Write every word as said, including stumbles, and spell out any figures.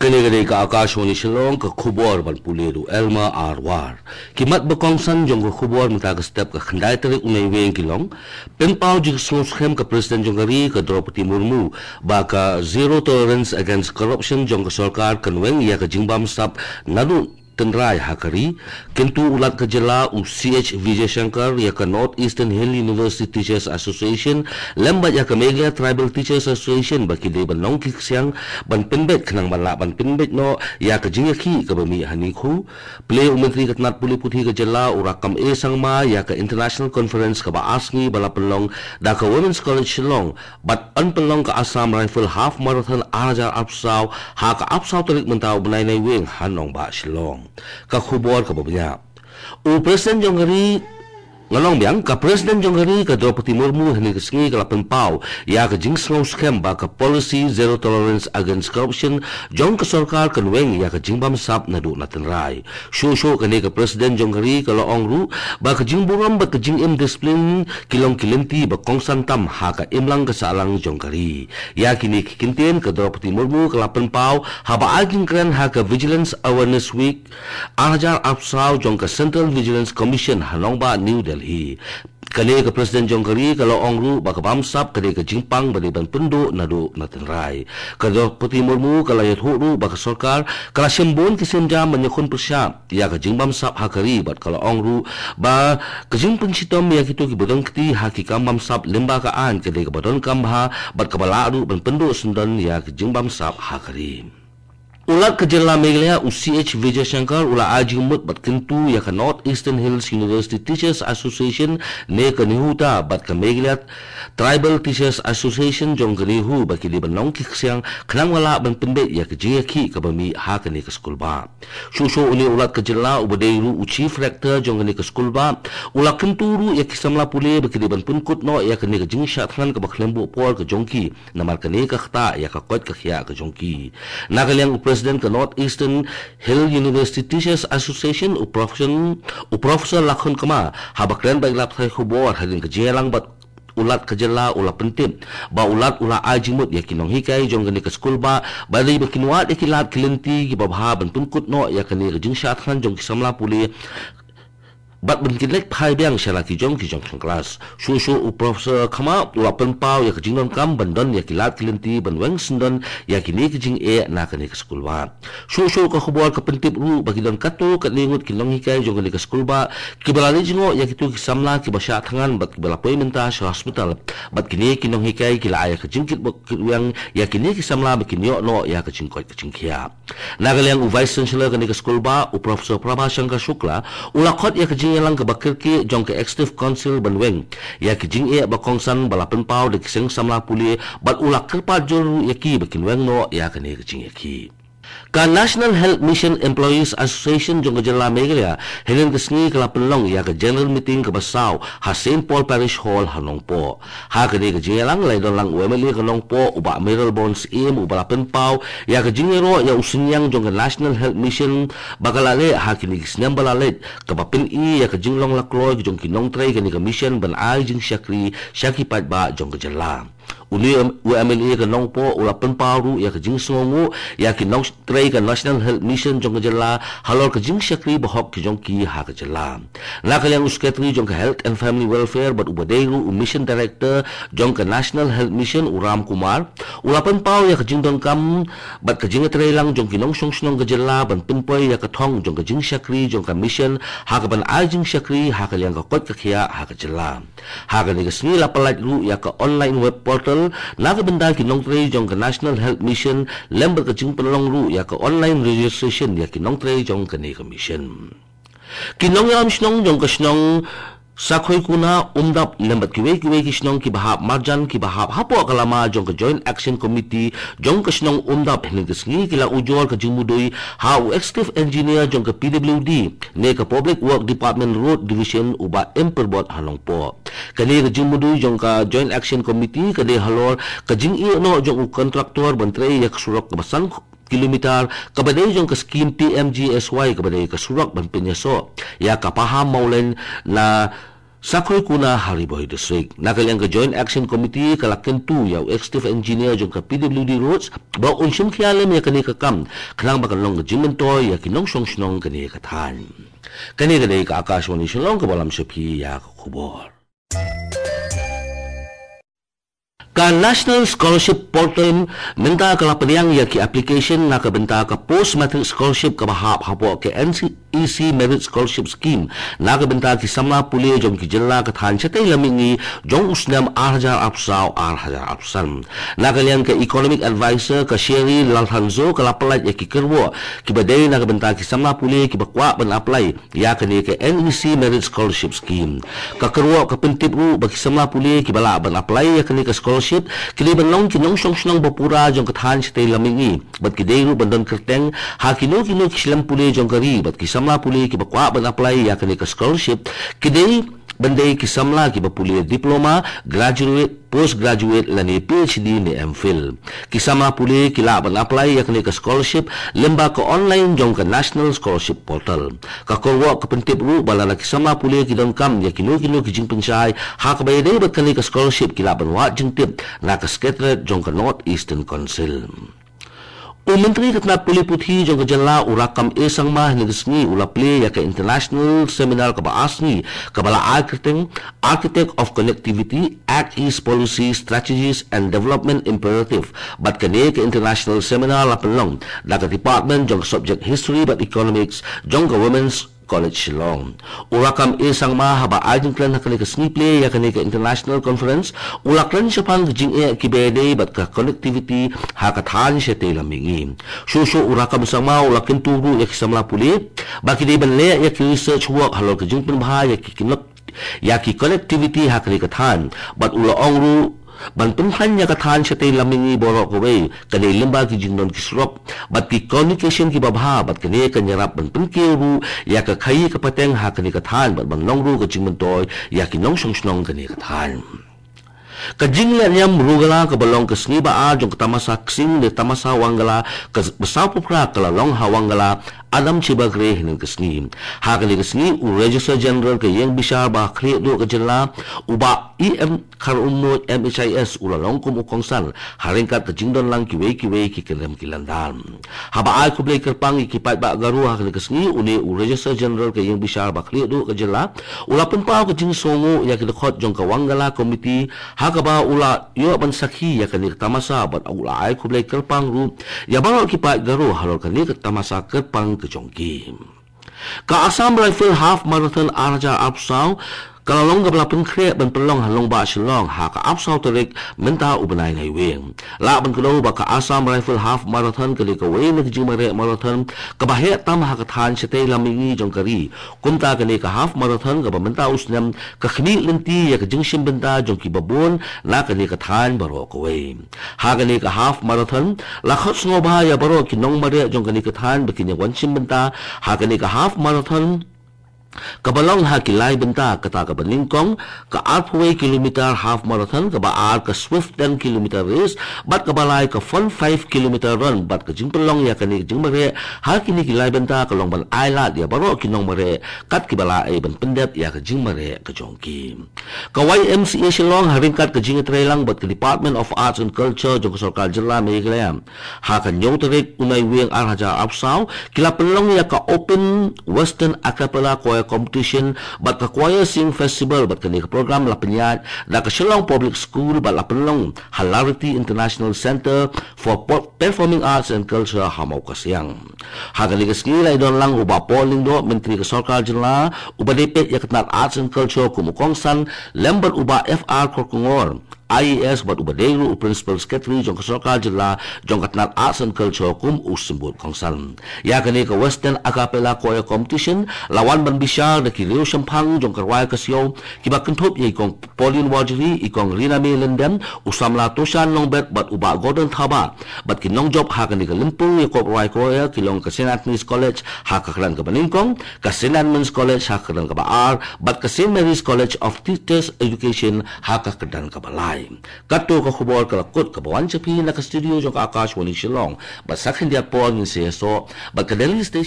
Kane ka dei ka Akashvani Shillong, ka khubor ban pule da u Elma Arwar. Ki mat ba kongsan jong ka khubor mynta ka step ka khyndai tarik u Naiwieng ki long: pynpaw jingsngew skhem ka President jong ka ri ka Droupadi Murmu ba ka zero tolerance against corruption jong ka sorkar kan weng ïa ka jingbamsap naduh tynrai ha ka ri. Kyntu u Lat ka jylla u C H Vijayashankar ïa ka North Eastern Hill University Teachers Association lem bad ïa ka Meghalaya Tribal Teachers Association ba ki dei ban long ki ksiang ban pynbeit khnang ban lah ban pynbeit noh ïa ka jingïakhih kaba mih ha Ningkhiew. Plie u Myntri ka tnat pule puthi ka jylla u Rakkam A Sangma ïa ka International Conference kaba ar sngi ba la pynlong da ka Women's College Shillong bad yn pynlong ka Assam Rifle Half Marathon ar hajar arphew saw ha ka arphew saw tarik mynta u bnai Naiwieng ha nongbah Shillong. Ka khubor kaba bniah. U President jong ka ri, nga ong biang, ka President jong ka ri ka Droupadi Murmu hynne ka sngi ka la pynpaw ïa ka jingsngew skhem ba ka policy zero tolerance against corruption jong ka sorkar kan weng ïa ka jingbamsap naduh na tynrai. Shuh shuh kane ka President jong ka ri ka la ong ruh ba ka jingburom bad ka jingim disiplin ki long ki lynti ba kongsan tam ha ka imlang ka sahlang jong ka ri. Ïa kine ki kyntien ka Droupadi Murmu ka la pynpaw haba ai jingkren ha ka Vigilance Awareness Week ar hajar arphew saw jong ka Central Vigilance Commission ha nongbah New Delhi. Kane ka President jong ka ri ka la ong ruh ba ka bamsap ka dei ka jingpang ba dei ban pynduh naduh na tynrai. Ka Droupadi Murmu ka la ïathuh ruh ba ka sorkar ka la shim bun ki sienjam ban ïakhun pyrshah ïa ka jingbamsap ha ka ri bad ka la ong ruh ba ka jingpynshitom ïa kito kiba don kti ha ki kam bamsap lyngba ka aiñ ka dei kaba donkam bha bad kaba lah ruh ban pynduh syndon ïa ka jingbamsap ha ka ri. U Lat ka jylla Meghalaya u C H Vijayashankar u la ai jingmut bad kyntu ïa ka North Eastern Hills University Teachers Association ne ka NEHUTA bad ka Meghalaya Tribal Teachers Association jong ka NEHU ba ki dei ban long ki ksiang khnang ba lah ban pynbeit ïa ka jingïakhih kaba mih ha kane ka skulbah. Shuh shuh une u Lat ka jylla uba dei ruh u Chief Rector jong kane ka skulbah u la kyntu ruh ïa ki samla pule ba ki dei ban pynkut noh ïa kane ka jingshah thngan kaba khlem buh por ka jong ki namar kane ka ktah ïa ka koit ka khiah ka jong ki. Na ka liang u President ka North Eastern Hill University Teachers Association u Professor, u Professor Lakhon Kma haba kren bad ki lad pathai khubor hadien ka jingïalang bad u Lat ka jylla u la pyntip ba u Lat u la ai jingmut ïa ki nonghikai jong kane ka skulbah ba dei ba kin wad ïa ki lad ki lynti kiba bha ban pynkut noh ïa kane ka jingshah thngan jong ki samla pule bad ban kin leit phai biang sha la ki jong ki jong khang klas. Shuh shuh u Professor Kma u la pynpaw ïa ka jingdonkam ban don ïa ki lad ki lynti ban weng syndon ïa kine ki jingeh na kane ka skulbah. Shuh shuh ka khubor ka pyntip ruh ba ki don katto katne ngut ki nonghikai jong kane ka skulbah kiba la leit jngoh ïa kito ki samla kiba shah thngan bad kiba la poi mynta sha hospital. Bad kine ki nonghikai ki la ai ïa ka jingkit bok kit weng ïa kine ki samla ba kin ïoh noh ïa ka jingkoit ka jingkhiah. Na ka liang u Vice Chancellor kane ka skulbah u Professor Prabha Shankar Shukla u la khot ïa ka jingïalang kaba kyrkieh jong ka Executive Council ban weng ïa ki jingeh ba kongsan ba la pynpaw da ki seng samla pule bad u la kyrpad jur ruh ïa ki ba kin weng noh ïa kane ka jingïakhih. Ka National Health Mission Employees Association jong ka jylla Meghalaya hynnin ka sngi ka la pynlong ïa ka general meeting kaba saw ha Saint Paul Parish Hall ha Nongpoh. Ha kane ka jingïalang la ïadon lang u M L A ka Nongpoh u Bah Mayralborn Syiem uba la pynpaw ïa ka jingïaroh ïa u synñiang jong ka National Health Mission ba ka la leh ha kine ki snem ba la leit kaba pyni ïa ka jinglong la kloi jong ki nongtrei kane ka mission ban ai jingshakri sha ki paidbah jong ka jylla. Une u M L A ka Nongpoh u la pynpaw ruh ïa ka jingsngewnguh ïa ki nongtrei ka National Health Mission jong ka jylla halor ka jingshakri bahok ki jong ki ha ka jylla. Na ka liang u Secretary jong ka Health and Family Welfare bad uba dei ruh u Mission Director jong ka National Health Mission u Ram Kumar u la pynpaw ïa ka jingdonkam bad ka jingïatreilang jong ki nongshong shnong ka jylla ban pynpoi ïa ka thong jong ka jingshakri jong ka mission ha kaban ai jingshakri ha ka liang ka koit ka khiah ha ka jylla. Ha kane ka sngi la pyllait ruh ïa ka online web portal na ka bynta ki nongtrei jong ka National Health Mission lem bad ka jingpynlong ruh ïa ka online registration ïa ki nongtrei jong kane ka mission. Ki nongïalam shnong jong ka shnong Sakhoikuna, Umdap lem bad kiwei kiwei ki shnong kiba hap marjan kiba hap hapoh ka lama jong ka Joint Action Committee jong ka shnong Umdap hynnin ka sngi ki la ujor ka jingmudui ha u Executive Engineer jong ka P W D ne ka Public Work Department Road Division u Bah M Pyrbot ha Nongpoh. Kane ka jingmudui jong ka Joint Action Committee ka dei halor ka jingïeh noh jong u kontraktor ban trei ïa ka surok kaba san kilometer kaba dei jong ka skim P M G S Y kaba dei ka surok ban pynïasoh ïa ka Paham Mawleng na Sakhoikuna ha Ri Bhoi District. Na ka liang ka Joint Action Committee ka la kyntu ïa u Executive Engineer jong ka P W D Roads ba un shim khia lem ïa kane ka kam, khnang ba kan long ka jingmyntoi ïa ki nongshong shnong kane ka thaiñ. Kane ka dei ka Akashvani Shillong kaba lam sha phi ïa ka khubor. Ka National Scholarship Portal mynta ka la pdiang ïa ki application na ka bynta ka Post Matric Scholarship kaba hap hapoh ka N E C Merit Scholarship Scheme na ka bynta ki samla pule jong ki jylla ka thaiñ shatei lam mihngi jong u snem ar hajar arphew saw ar hajar arphew san. Na ka liang ka Economic Advisor ka Sherry Lalthanzo ka la pyllait ïa ki kyrwoh kiba dei na ka bynta ki samla pule kiba kwah ban apply ïa kane ka N E C Merit Scholarship Scheme. Ka kyrwoh ka pyntip ruh ba ki samla pule kiba lah ban apply ïa kane ka scholarship ki dei ban long ki nongshong shnong ba pura jong ka thaiñ shatei lam mihngi bad ki dei ruh ban don kyrteng ha kino kino ki shlem pule jong ka ri. Bad ki samla pule kiba kwah ban apply ïa kane ka scholarship ki dei ban dei ki samla kiba pule diploma, graduate, postgraduate lane P H D ne M Phil. Ki samla pule ki lah ban apply ïa kane ka scholarship lyngba ka online jong ka National Scholarship Portal. Ka kyrwoh ka pyntip ruh ba lada ki samla pule ki donkam ïa kino kino ki jingpynshai ha kaba ïadei bad kane ka scholarship, ki lah ban wad jingtip na ka Secretariat jong ka North Eastern Council. U Myntri ka tnat pule puthi jong ka jylla u Rakkam A Sangma hynne ka sngi u la plie ïa ka international seminar kaba ar sngi kaba la ai kyrteng Architect of Connectivity, Act East Policy, Strategies and Development Imperative. Bad kane ka international seminar la pynlong da ka department jong ka subject History bad Economics jong ka Women's College Shillong. U Rakkam A Sangma haba ai jingkren ha kane ka sngi plie ïa kane ka international conference, u la kren shaphang ka jingeh kiba ïadei bad ka connectivity ha ka thaiñ shatei lam mihngi. Shuh shuh u Rakkam Sangma u la kyntu ruh ïa ki samla pule ba ki dei ban leh ïa ki research work halor ka jingpynbha ïa ki kynnoh ïa ki connectivity ha kane ka thaiñ. Bad u la ong ruh ban pynthaiñ ïa ka thaiñ shatei lam mihngi baroh kawei ka dei lyngba ki jingdon ki surok bad ki communication kiba bha, bad kane kan ïarap ban pynkiew ruh ïa ka khaïi ka pateng ha kane ka thaiñ bad ban long ruh ka jingmyntoi ïa ki nongshong shnong kane ka thaiñ. Ka jingleh niam Rugala kaba long ka sngi ba ar jong ka tamasa Ksing ne tamasa Wangala kaba sawphew phra ka la long ha Wangala Adam Shibagre hynne ka sngi. Ha kane ka sngi u Registrar General ka Ïing Bishar ba Khlieh Duh ka jylla u Bah E M Kharumnuid M H I S u la long kum u kongsan ha ryngkat ka jingdon lang kiwei kiwei ki kyndem ki lyndar. Haba ai khublei kyrpang ïa ki paidbah Garo ha kane ka sngi, une u Registrar General ka Ïing Bishar ba Khlieh Duh ka jylla u la pynpaw ka jingsngewnguh ïa ki dkhot jong ka Wangala Committee ha kaba u la ïoh ban sakhi ïa kane ka tamasa bad u la ai khublei kyrpang ruh ïa baroh ki paid Garo halor kane ka tamasa kyrpang ka jong ki. Ka Assam Rifle Half Marathon ar hajar arphew saw ka la long kaba la pynkhreh ban pynlong ha Nongbah Shillong ha ka arphew saw tarik mynta u bnai Naiwieng. Lah ban kdew ba ka Assam Rifle Half Marathon ka dei kawei na ka jingmareh marathon kaba heh tam ha ka thaiñ shatei lam mihngi jong ka ri. Kumta kane ka Half Marathon kaba mynta u snem ka khmih lynti ïa ka jingshim bynta jong kiba bun na kane ka thaiñ baroh kawei. Ha kane ka Half Marathon la khot sngewbha ïa baroh ki nongmareh jong kane ka thaiñ ba kin ïa wan shim bynta ha kane ka Half Marathon kaba long ha ki lai bynta, kata kaba nyngkong ka arphew kilometer Half Marathon, kaba ar ka Swift ten kilometer race bad kaba lai ka Fun five kilometer run. Bad ka jingpynlong ïa kane ka jingmareh ha kine ki lai bynta ka long ban ailad ïa baroh ki nongmareh kat kiba la ei ban pyndep ïa ka jingmareh ka jong ki. Ka Y M C A Shillong ha ryngkat ka jingïatreilang bad ka Department of Arts and Culture jong ka Sorkar Jylla Meghalaya ha ka hynñiew tarik u Naiwieng ar hajar arphew saw ki la pynlong ïa ka Open Western A Cappella Choir Competition bad ka Choir Sing Festival. Bad kane ka program la pynïaid da ka Shillong Public School bad la pynlong ha Lariti International Centre for Po- Performing Arts and Culture ha Mawkasiang. Ha kane ka sngi la ïadon lang u Bah Paul Lyngdoh, Myntri ka Sorkar Jylla uba dei peit ïa ka tnat Arts and Culture kum u kongsan, lem bad u Bah F R Kharkongor, I A S, bad uba dei ruh u Principal Secretary jong ka Sorkar Jylla jong ka tnat Arts and Culture kum u symbud kongsan. Ïa kane ka Western A Cappella Choir Competition la wan ban bishar da ki riew shemphang jong ka rwai ka siaw kiba kynthup ïa i Kong Pauline Warjri, i Kong Riname Lyngdoh, u samla Toshan Nongbet bad u Bah Gordon Thabah. Bad ki nongjop ha kane ka lympung ïakop rwai choir ki long ka St Anthony's College ha ka kyrdan kaba nyngkong, ka St Edmund's College ha ka kyrdan kaba ar bad ka St Mary's College of Teachers Education ha ka kyrdan kaba lai. Kato ka khubor ka la kut kaba wan sha phi na ka studio jong ka Akashvani Shillong. Bad sa khyndiat por ngin sa ïasoh bad ka Delhi Station.